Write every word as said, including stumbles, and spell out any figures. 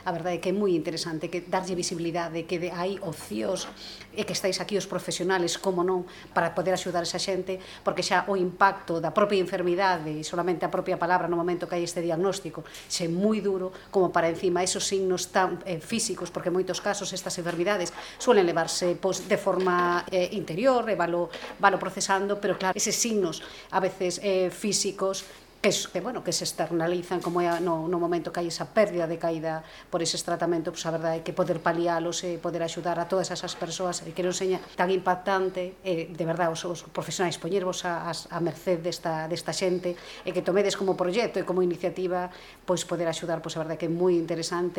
a verdade é que é moi interesante, que darlle visibilidade, que de, hai opcións, e que estáis aquí os profesionales, como non, para poder axudar esa xente, porque xa o impacto da propia enfermidade e solamente a propia palabra no momento que hai este diagnóstico xe moi duro, como para encima esos signos tan eh, físicos, porque en moitos casos estas enfermidades suelen levarse pois, de forma eh, interior, e valo, valo procesando, pero claro, eses signos a veces eh, físicos que, que, bueno, que se externalizan, como é no, no momento que hai esa pérdida de caída por eses tratamentos, pues a verdade é que poder palialos e poder axudar a todas esas persoas, e que non seña tan impactante, e de verdade os, os profesionais poñervos a, a, a merced desta, desta xente, e que tomedes como proxecto e como iniciativa, pois poder axudar, pois a verdade é que é moi interesante.